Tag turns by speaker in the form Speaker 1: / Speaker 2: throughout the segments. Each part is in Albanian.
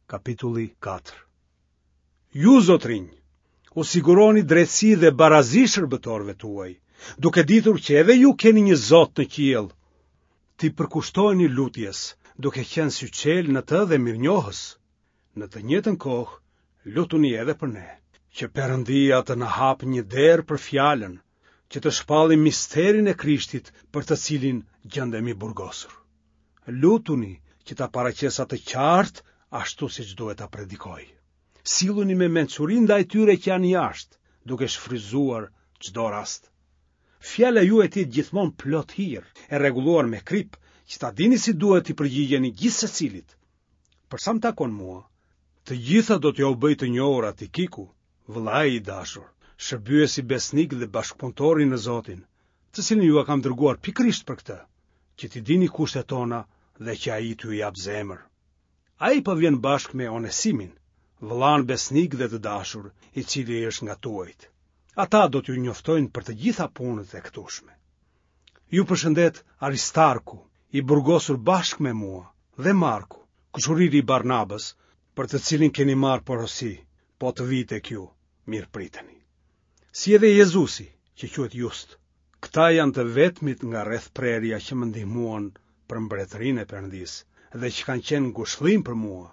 Speaker 1: Kapitulli 4 Ju, zotërinj, u siguroni drejtësi dhe barazi shërbëtorëve tuaj, duke ditur që edhe ju keni një Zot në qiell. T'i përkushtoheni lutjes, duke qenë syçelë në të dhe mirënjohës. Në të njëjtën kohë, lutuni edhe për ne, që Perëndia të na hapë një derë për fjalën, që të shpallim misterin e Krishtit për të cilin gjendem i burgosur. Lutuni që ta paraqes atë qartë ashtu siç duhet ta predikoj. Silluni me mençuri ndaj tyre që janë jashtë, duke shfrytëzuar çdo rast. Fjala juaj të jetë gjithmonë plot hir, e rregulluar me kripë, që ta dini si duhet t'i përgjigjeni gjithsecilit. Për sa më takon mua, të gjitha do t'jua bëjë të njohura Tikiku, vëllai i dashur, shërbyesi besnik dhe bashkëpunëtori në Zotin, të cilin jua kam dërguar pikërisht për këtë, që t'i dini kushtet tona dhe që ai t'ju japë zemër. Ai po vjen bashkë me Onesimin, vëllanë besnik dhe të dashur, i cili është nga tuajt. Ata do t'ju njoftojnë për të gjitha punët e këtushme. Ju përshëndet Aristarku, i burgosur bashkë me mua, dhe Marku, kushëriri i Barnabës, për të cilin keni marrë porosi, po të vijë tek ju, mirëpriteni. Si edhe Jezusi, që quhet Just, këta janë të vetmit nga rrethprerja që më ndihmuan për mbretërinë e Perëndisë dhe që kanë qenë ngushëllim për mua.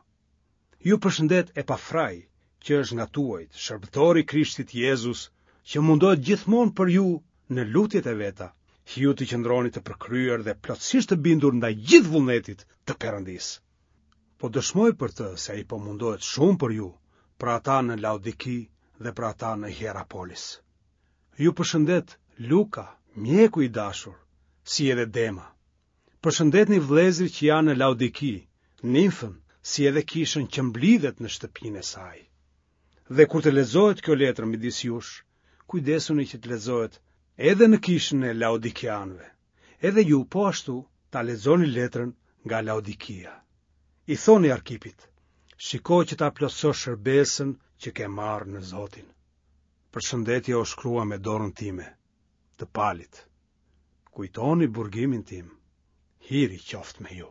Speaker 1: Ju përshëndet Epafrai, që është nga tuajt, shërbëtor i Krishtit Jezus, që mundohet gjithmonë për ju në lutjet e veta, që ju të qëndroni të përkryer dhe plotësisht të bindur ndaj gjithë vullnetit të Perëndisë. Po dëshmoj për të se ai po mundohet shumë për ju, për ata në Laodiki dhe për ata në Hierapolis. Ju përshëndet Luka, mjeku i dashur, si edhe Dema. Përshëndetni vëllezërit që janë në Laodiki, Nimfën, si edhe kishën që mblidhet në shtëpinë e saj. Dhe kur të lexohet kjo letër midis jush, kujdesuni që të lexohet edhe në kishën e Laodikianëve. Edhe ju po ashtu ta lexoni letrën nga Laodikia. I thoni Arkipit, shiko që ta plotësosh shërbesën që ke marrë në Zotin. Përshëndetja u shkrua me dorën time, të Palit. Kujtoni burgimin tim. Hiri qoftë me ju.